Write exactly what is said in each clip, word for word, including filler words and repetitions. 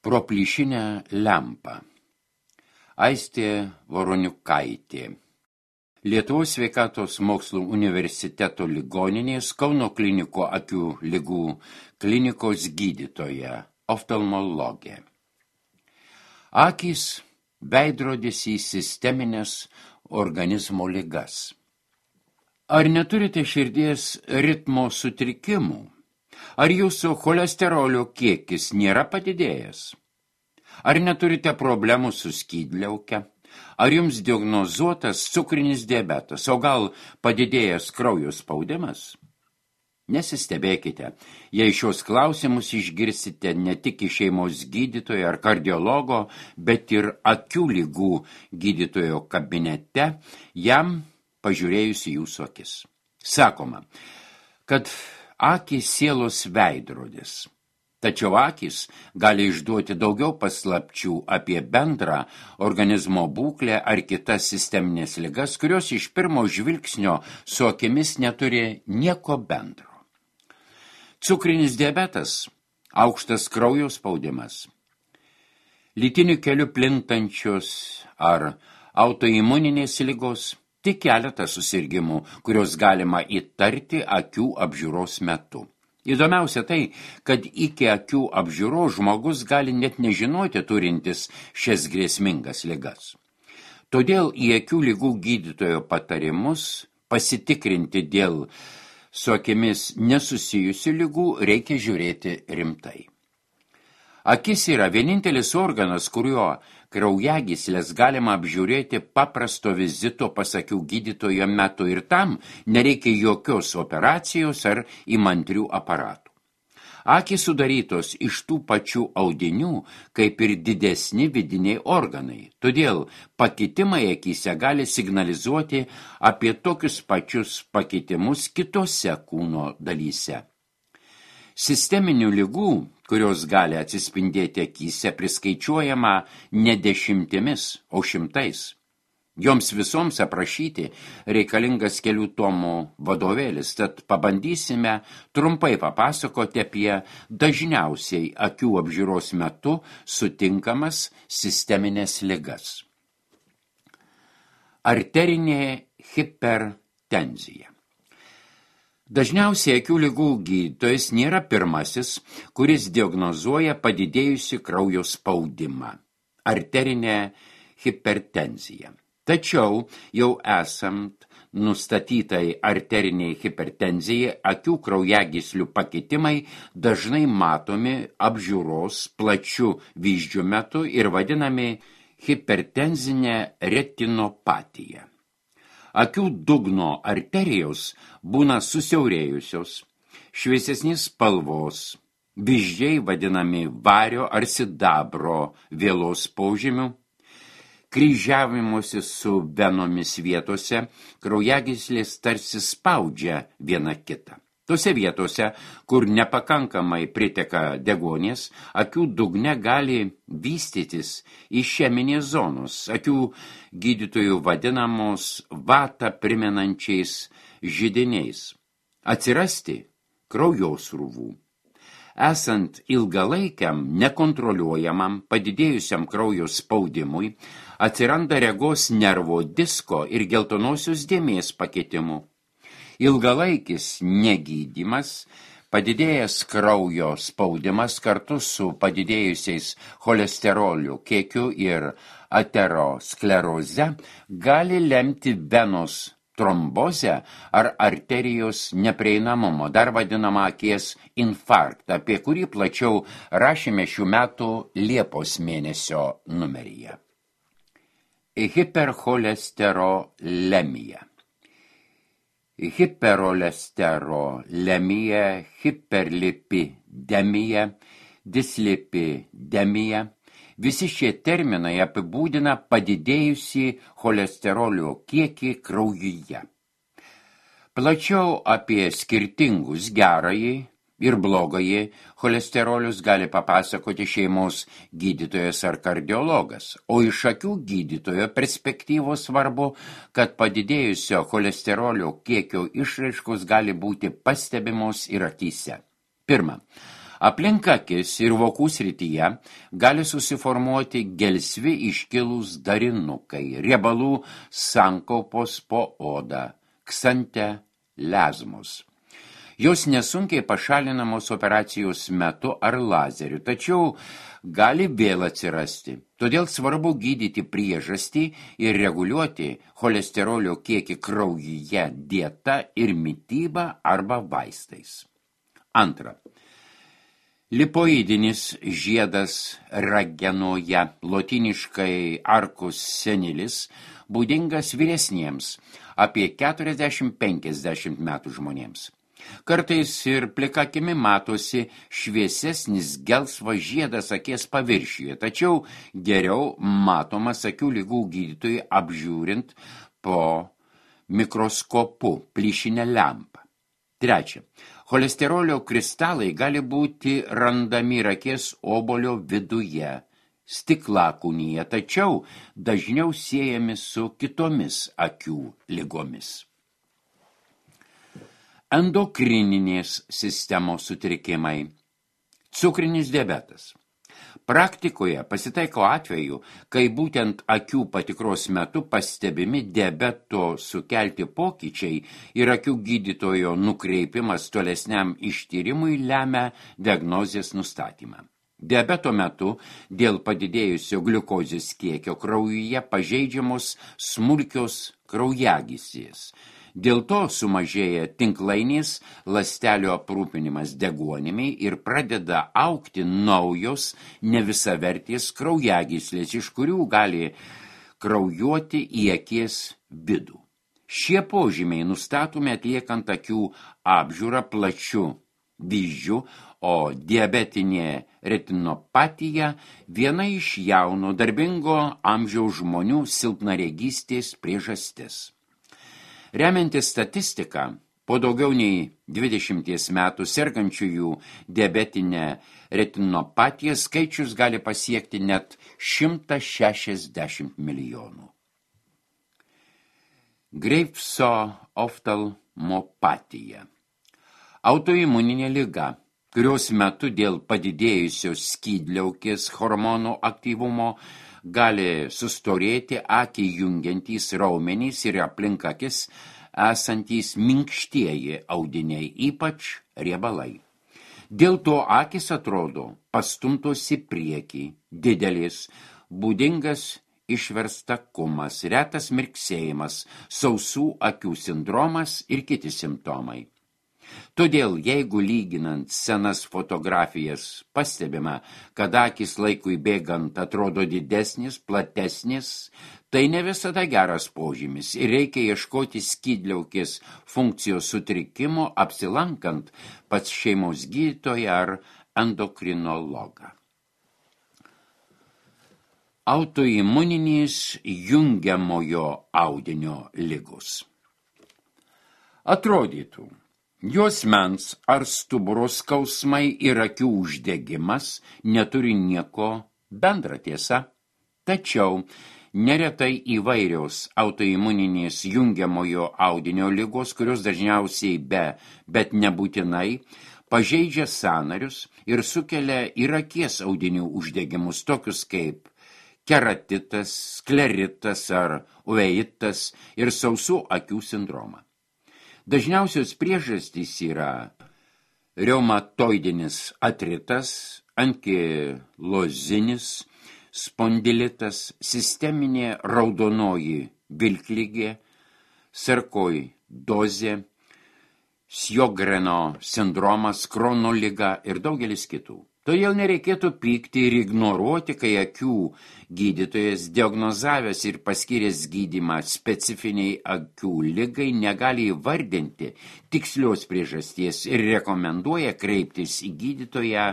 Pro plyšinę lempą. Aistė Voroniukaitė. Lietuvos sveikatos mokslų universiteto ligoninės Kauno kliniko akių ligų klinikos gydytoja, oftalmologė. Akys veidrodis į sisteminės organizmo ligas. Ar neturite širdies ritmo sutrikimų? Ar jūsų cholesterolio kiekis nėra padidėjęs? Ar neturite problemų su skydliauke? Ar jums diagnozuotas cukrinis diabetas, o gal padidėjęs kraujo spaudimas? Nesistebėkite, jei šios klausimus išgirsite ne tik iš šeimos gydytojo ar kardiologo, bet ir akių ligų gydytojo kabinete, jam pažiūrėjus į jūsų akis. Sakoma, kad akys sielos veidrodis. Tačiau akys gali išduoti daugiau paslapčių apie bendrą organizmo būklę ar kitas sisteminės ligas, kurios iš pirmo žvilgsnio su akimis neturi nieko bendro. Cukrinis diabetas, aukštas kraujo spaudimas, lytiniu keliu plintančios ar autoimuninės ligos, tik keletas susirgimų, kurios galima įtarti akių apžiūros metu. Įdomiausia tai, kad iki akių apžiūros žmogus gali net nežinoti turintis šias grėsmingas ligas. Todėl į akių ligų gydytojo patarimus pasitikrinti dėl su akimis nesusijusių ligų reikia žiūrėti rimtai. Akis yra vienintelis organas, kuriuo kraujagyslės galima apžiūrėti paprasto vizito pas akių gydytojo metu ir tam nereikia jokios operacijos ar įmantrių aparatų. Akys sudarytos iš tų pačių audinių, kaip ir didesni vidiniai organai, todėl pakitimai akyse gali signalizuoti apie tokius pačius pakitimus kitose kūno dalyse. Sisteminių ligų, kurios gali atsispindėti akyse, priskaičiuojama ne dešimtimis, o šimtais. Joms visoms aprašyti reikalingas kelių tomų vadovėlis, tad pabandysime trumpai papasakoti apie dažniausiai akių apžiūros metu sutinkamas sisteminės ligas. Arterinė hipertenzija. Dažniausiai akių ligų gydytojas nėra pirmasis, kuris diagnozuoja padidėjusi kraujo spaudimą, arterinę hipertenziją. Tačiau jau esant nustatytai arteriniai hipertenzijai, akių kraujagyslių pakitimai dažnai matomi apžiūros plačių vyzdžių metu ir vadinami hipertenzinė retinopatija. Akių dugno arterijos būna susiaurėjusios, šviesesnės spalvos, vyzdžiai vadinami vario ar sidabro vėlos požymių, kryžiavimuose su venomis vietose kraujagyslės tarsi spaudžia viena kitą. Tose vietose, kur nepakankamai priteka deguonies, akių dugne gali vystytis išeminės zonos, akių gydytojų vadinamos vatą primenančiais židiniais, atsirasti kraujosrūvų. Esant ilgalaikiam, nekontroliuojamam, padidėjusiam kraujo spaudimui, atsiranda regos nervo disko ir geltonosios dėmės pakitimų. Ilgalaikis negydymas, padidėjęs kraujo spaudimas kartu su padidėjusiais cholesterolio kiekiu ir ateroskleroze gali lemti venos trombozę ar arterijos neprieinamumą, dar vadinamą akies infarktą, apie kurį plačiau rašėme šių metų Liepos mėnesio numeryje. Hipercholesterolemija. Hipercholesterolemija, hiperlipidemija, dislipidemija. Visi šie terminai apibūdina padidėjusį cholesterolio kiekį kraujyje. Plačiau apie skirtingus gerąjį ir blogąjį cholesterolius gali papasakoti šeimos gydytojas ar kardiologas, o iš akių gydytojo perspektyvos svarbu, kad padidėjusio cholesterolio kiekio išraiškos gali būti pastebimos ir akyse. Pirma, Aplink akis ir vokų srityje gali susiformuoti gelsvi iškilūs darinukai, riebalų sankaupos po odą, ksantelezmos. Jos nesunkiai pašalinamos operacijos metu ar lazeriu, tačiau gali vėl atsirasti. Todėl svarbu gydyti priežastį ir reguliuoti cholesterolio kiekį kraujyje dieta ir mityba arba vaistais. Antra. Lipoidinis žiedas ragenoje, lotyniškai arcus senilis, būdingas vyresniems, apie keturiasdešimt penkiasdešimt metų žmonėms. Kartais ir plika akimi matosi šviesesnis gelsvas žiedas akies paviršiuje, tačiau geriau matomas akių ligų gydytojui apžiūrint po mikroskopu plyšinę lempą. Trečia. Cholesterolio kristalai gali būti randami ir akies obolio viduje, stiklakūnyje, tačiau dažniau siejami su kitomis akių ligomis. Endokrininės sistemos sutrikimai. Cukrinis diabetas. Praktikoje pasitaiko atveju, kai būtent akių patikros metu pastebimi diabeto sukelti pokyčiai ir akių gydytojo nukreipimas tolesniam ištyrimui lemia diagnozės nustatymą. Diabeto metu dėl padidėjusio gliukozės kiekio kraujyje pažeidžiamos smulkios kraujagyslės. Dėl to sumažėja tinklainės ląstelių aprūpinimas deguonimi ir pradeda augti naujos nevisavertės kraujagyslės, iš kurių gali kraujuoti į akies vidų. Šie požymiai nustatomi atliekant akių apžiūrą plačiu vyzdžiu, o diabetinė retinopatija viena iš jauno darbingo amžiaus žmonių silpnaregystės priežastis. Remiantis statistiką, po daugiau nei dvidešimties metų sergančiųjų diabetinę retinopatiją skaičius gali pasiekti net šimtą šešiasdešimt milijonų. Greivso oftalmopatija. Autoimuninė liga, kurios metu dėl padidėjusios skydliaukės hormonų aktyvumo gali sustorėti akį jungiantys raumenys ir aplink akis esantys minkštieji audiniai, ypač riebalai. Dėl to akis atrodo pastumtos į priekį, didelis, būdingas išverstakumas, retas mirksėjimas, sausų akių sindromas ir kiti simptomai. Todėl, jeigu lyginant senas fotografijas pastebima, kad akys laikui bėgant atrodo didesnis, platesnis, tai ne visada geras požymis ir reikia ieškoti skydliaukės funkcijos sutrikimo apsilankant pas šeimos gydytoją ar endokrinologą. Autoimuninės jungiamojo audinio ligos. Atrodytų, juosmens ar stuburo skausmai ir akių uždegimas neturi nieko bendra tiesa, tačiau neretai įvairios autoimuninės jungiamojo audinio ligos, kurios dažniausiai be, bet nebūtinai, pažeidžia sąnarius ir sukelia ir akies audinių uždegimus, tokius kaip keratitas, skleritas ar uveitas ir sausų akių sindromą. Dažniausios priežastys yra reumatoidinis artritas, ankilozinis spondilitas, sisteminė raudonoji vilkligė, sarkoidozė, Sjogreno sindromas, Krono liga ir daugelis kitų. Todėl nereikėtų pykti ir ignoruoti, kai akių gydytojas diagnozavęs ir paskyręs gydymą specifiniai akių ligai negali įvardinti tikslios priežasties ir rekomenduoja kreiptis į gydytoją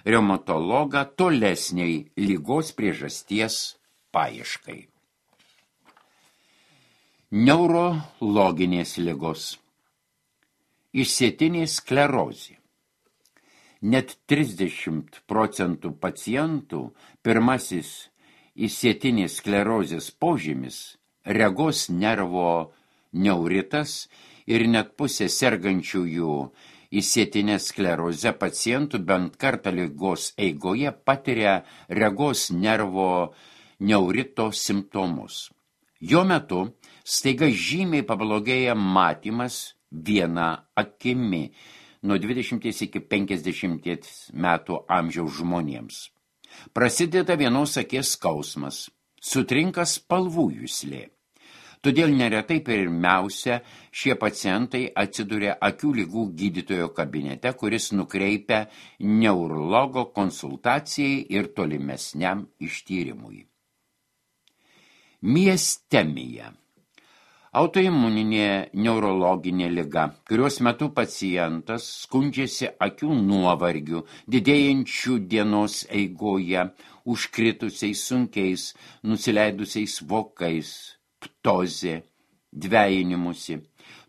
reumatologą tolesniai ligos priežasties paieškai. Neurologinės ligos. Išsėtinė sklerozė. Net trisdešimt procentų pacientų pirmasis išsėtinės sklerozės požymis regos nervo neuritas ir net pusė sergančiųjų išsėtinę sklerozę pacientų bent kartą ligos eigoje patiria regos nervo neurito simptomus. Jo metu staiga žymiai pablogėja matymas viena akimi nuo dvidešimties iki penkiasdešimties metų amžiaus žmonėms. Prasideda vienos akies skausmas, sutrinka spalvų juslė. Todėl neretai pirmiausia šie pacientai atsiduria akių ligų gydytojo kabinete, kuris nukreipia neurologo konsultacijai ir tolimesniam ištyrimui. Miastemija. Autoimuninė neurologinė liga, kurios metu pacientas skundžiasi akių nuovargiu, didėjančių dienos eigoje, užkritusiais sunkiais, nusileidusiais vokais, ptozė, dvejinimusi.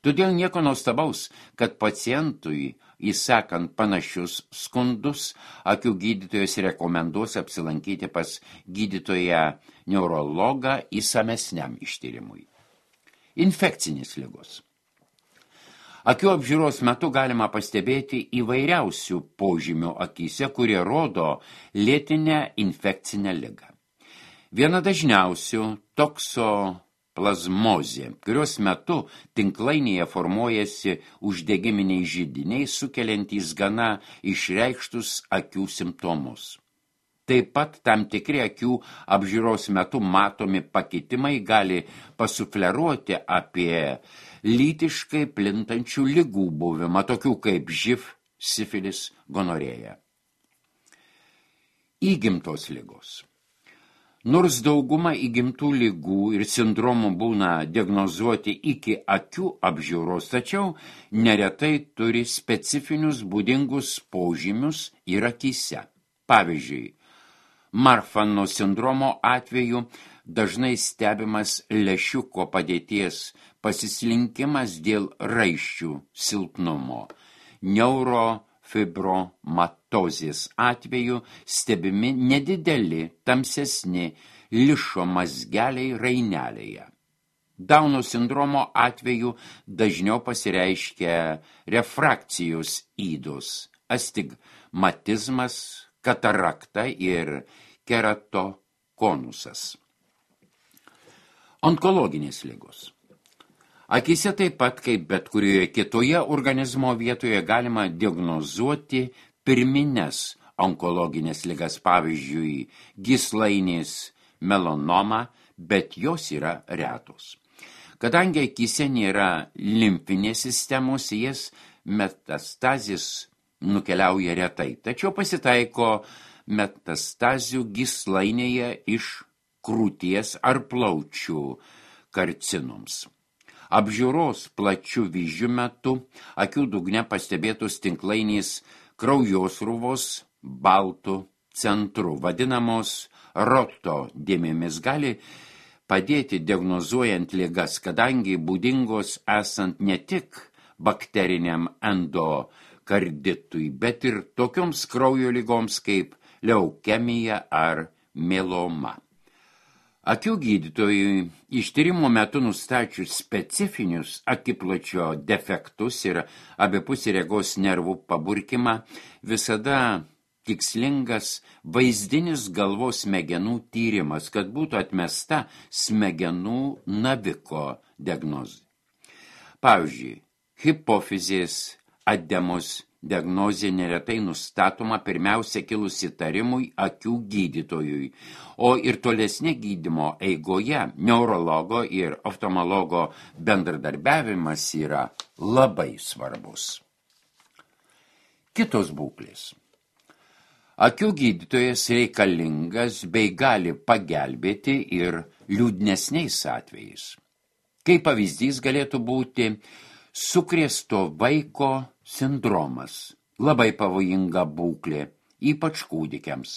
Todėl nieko nuostabaus, kad pacientui, įsakant panašius skundus, akių gydytojas rekomenduos apsilankyti pas gydytoją neurologą įsamesniam ištyrimui. Infekcinės ligos. Akių apžiūros metu galima pastebėti įvairiausių požymių akyse, kurie rodo lėtinę infekcinę ligą. Viena dažniausių toksoplazmozė, kurios metu tinklainėje formuojasi uždegiminiai židiniai, sukeliantys gana išreikštus akių simptomus. Taip pat tam tikri akių apžiūros metu matomi pakitimai gali pasufleruoti apie lytiškai plintančių ligų buvimą, tokių kaip živ, sifilis, gonorėja. Įgimtos ligos. Nors dauguma įgimtų ligų ir sindromų būna diagnozuoti iki akių apžiūros, tačiau neretai turi specifinius būdingus požymius ir akyse. Pavyzdžiui, Marfano sindromo atveju dažnai stebimas lęšiuko padėties pasislinkimas dėl raiščių silpnumo. Neurofibromatozės atveju stebimi nedideli, tamsesni lišo mazgeliai rainelėje. Dauno sindromo atveju dažniau pasireiškia refrakcijos ydos, astigmatizmas, katarakta ir keratokonusas. Onkologinės ligos. Akyse taip pat, kaip bet kurioje kitoje organizmo vietoje, galima diagnozuoti pirmines onkologinės ligas, pavyzdžiui, gyslainės melanoma, bet jos yra retos. Kadangi akyse nėra limfinės sistemos, jas metastazės nukeliauja retai, tačiau pasitaiko metastazių gyslainėje iš krūties ar plaučių karcinoms. Apžiūros plačių vyzdžių metu akių dugne pastebėtos tinklainės kraujosrūvos baltų centru, vadinamos roto dėmėmis, gali padėti diagnozuojant ligas, kadangi būdingos esant ne tik bakteriniam endokarditui, bet ir tokioms kraujo ligoms kaip leukemija ar mieloma. Akių gydytojui ištyrimo metu nustačius specifinius akipločio defektus ir abipusį regos nervų paburkimą, visada tikslingas vaizdinis galvos smegenų tyrimas, kad būtų atmesta smegenų naviko diagnozė. Pavyzdžiui, hipofizės ademos diagnozė neretai nustatoma pirmiausia kilus įtarimui akių gydytojui, o ir tolesnė gydymo eigoje neurologo ir oftalmologo bendradarbiavimas yra labai svarbus. Kitos būklės. Akių gydytojas reikalingas bei gali pagelbėti ir liūdnesniais atvejais. Kaip pavyzdys galėtų būti sukrėsto vaiko sindromas, labai pavojinga būklė, ypač kūdikiams.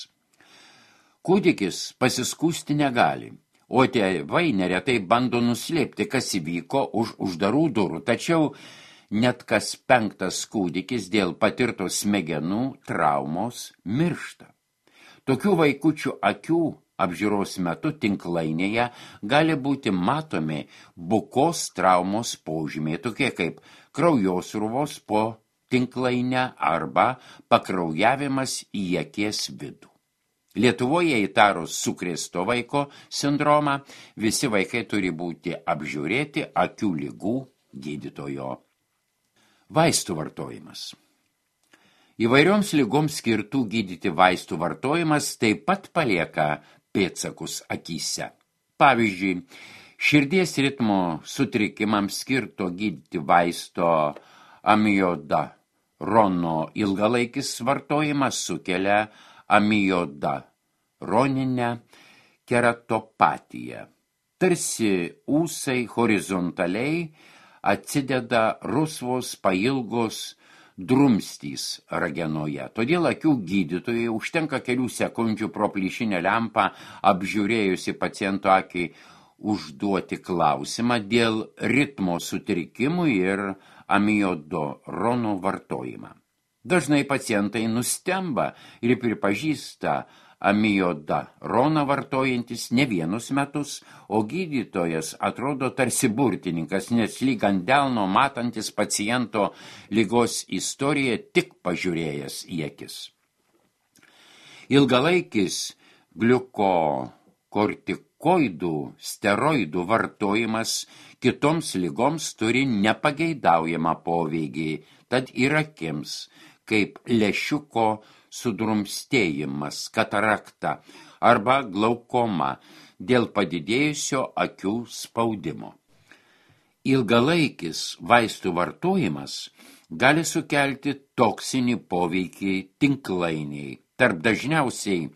Kūdikis pasiskųsti negali, o tėvai neretai bando nuslėpti, kas įvyko už uždarų durų, tačiau net kas penktas kūdikis dėl patirtos smegenų traumos miršta. Tokių vaikučių akių apžiūros metu tinklainėje gali būti matomi bukos traumos požymiai, tokie kaip kraujosrūvos po tinklainę arba pakraujavimas į akies vidų. Lietuvoje įtarus sukrėsto vaiko sindromą, visi vaikai turi būti apžiūrėti akių ligų gydytojo. Vaistų vartojimas. Įvairioms ligoms skirtų gydyti vaistų vartojimas taip pat palieka pėdsakus akyse. Pavyzdžiui, širdies ritmo sutrikimams skirto gydyti vaisto amiodarono ilgalaikis vartojimas sukelia amiodaroninę keratopatiją. Tarsi ūsai horizontaliai atsideda rusvos pailgos drumstys ragenoje. Todėl akių gydytojai užtenka kelių sekundžių pro plyšinę lempą apžiūrėjusi paciento akį užduoti klausimą dėl ritmo sutrikimų ir amiodorono vartojimą. Dažnai pacientai nustemba ir pripažįsta amiodaroną vartojantis ne vienus metus, o gydytojas atrodo tarsi burtininkas, nes lyg ant delno matantis paciento ligos istoriją tik pažiūrėjęs į akis. Ilgalaikis gliukokortikoidų steroidų vartojimas kitoms ligoms turi nepageidaujamą poveikį, tad ir akims, kaip lęšiuko sudrumstėjimas, katarakta arba glaukoma dėl padidėjusio akių spaudimo. Ilgalaikis vaistų vartojimas gali sukelti toksinį poveikį tinklainiai. Tarp dažniausiai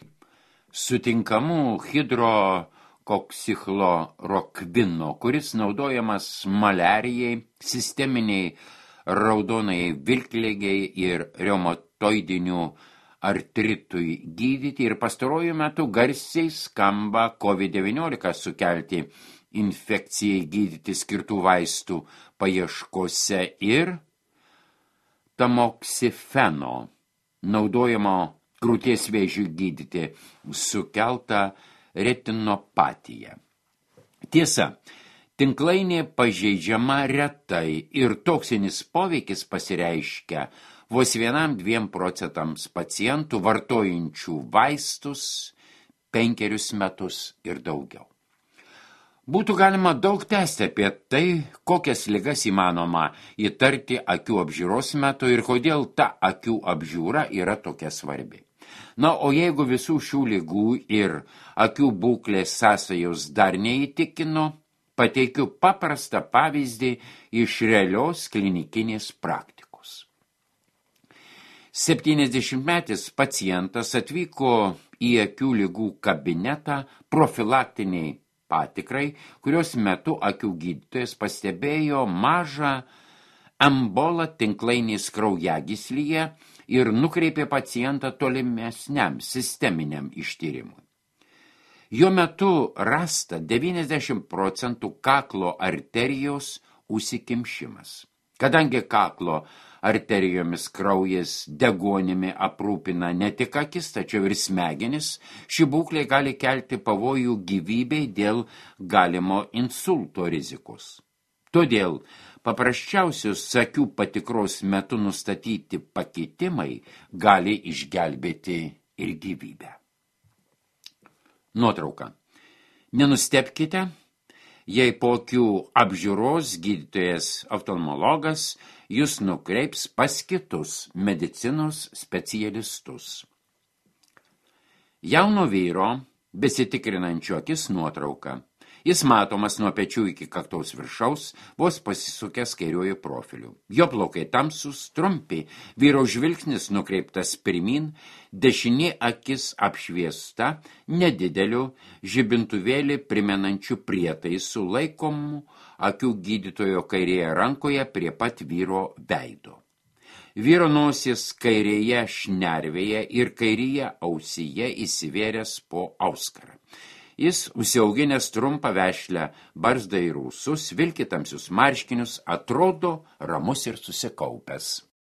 sutinkamų hidrokoksichlorokvino, kuris naudojamas maliarijai, sisteminiai raudonai vilkligei ir reumatoidinių artritui gydyti ir pastaruoju metu garsiai skamba COVID devyniolika sukelti infekcijai gydyti skirtų vaistų paieškose ir tamoksifeno, naudojamo krūties vėžiui gydyti, sukelta retinopatija. Tiesa, tinklainė pažeidžiama retai ir toksinis poveikis pasireiškia vos vienam dviem procentams pacientų vartojančių vaistus penkerius metus ir daugiau. Būtų galima daug tęsti apie tai, kokias ligas įmanoma įtarti akių apžiūros metu ir kodėl ta akių apžiūra yra tokia svarbi. Na, o jeigu visų šių ligų ir akių būklės sąsajos dar neįtikino, pateikiu paprastą pavyzdį iš realios klinikinės praktikos. septyniasdešimtmetis pacientas atvyko į akių ligų kabinetą profilaktiniai patikrai, kurios metu akių gydytojas pastebėjo mažą embolą tinklainės kraujagyslyje ir nukreipė pacientą tolimesniam sisteminiam ištyrimui. Jo metu rasta devyniasdešimt procentų kaklo arterijos užsikimšimas. Kadangi kaklo arterijomis kraujas deguonimi aprūpina ne tik akis, tačiau ir smegenis, ši būklė gali kelti pavojų gyvybei dėl galimo insulto rizikos. Todėl paprasčiausios akių patikros metu nustatyti pakitimai gali išgelbėti ir gyvybę. Nuotrauka. Nenustebkite, jei po akių apžiūros gydytojas oftalmologas jūs nukreips pas kitus medicinos specialistus. Jauno vyro, besitikrinančio akis nuotrauka. Jis matomas nuo pečių iki kaktos viršaus, vos pasisukęs kairiuoju profiliu. Jo plaukai tamsus, trumpi, vyro žvilgsnis nukreiptas pirmin, dešinė akis apšviesta, nedideliu žibintuvėlį primenančiu prietaisų laikomų akių gydytojo kairėje rankoje prie pat vyro veido. Vyro nosis kairėje šnervėje ir kairėje ausyje įsivėręs po auskarą. Jis, užsiauginęs trumpą vešlę, barzdą ir ūsus, vilki tamsius marškinius, atrodo ramus ir susikaupęs.